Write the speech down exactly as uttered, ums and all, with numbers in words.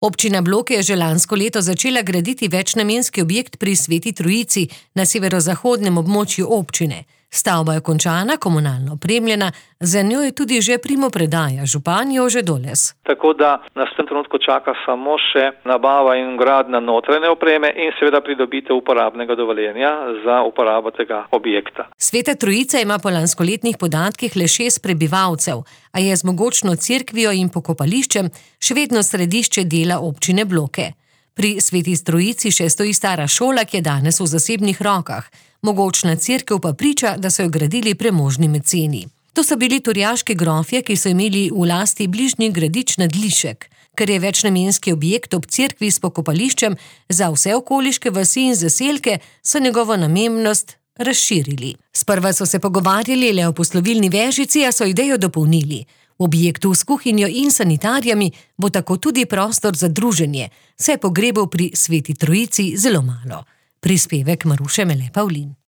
Občina Bloke je že lansko leto začela graditi večnamenski objekt pri Sveti Trojici na severozahodnem območju občine. Stavba je končana, komunalno opremljena, za njo je tudi že primopredaja, župan Jože Doles. Tako da nas v tem trenutku čaka samo še nabava in gradnja notranje opreme in seveda pridobitev uporabnega dovoljenja za uporabo tega objekta. Sveta Trojica ima po lanskoletnih podatkih le šest prebivalcev, a je z mogočno cerkvijo in pokopališčem še vedno središče dela občine Bloke. Pri Sveti Trojici še stoji stara šola, ki je danes v zasebnih rokah. Mogočna cerkev pa priča, da so jo gradili premožni meceni. To so bili turjaški grofje, ki so imeli v lasti bližnji gradič nad Lišek. Ker je večnamenski objekt ob cerkvi s pokopališčem za vse okoliške vasi in zaselke, so njegovo namembnost razširili. Sprva so se pogovarjali le o poslovilni vežici, a so idejo dopolnili. V objektu s kuhinjo in sanitarijami bo tako tudi prostor za druženje, saj je pogrebov pri Sveti Trojici zelo malo. Prispevek Maruše Mele Pavlin.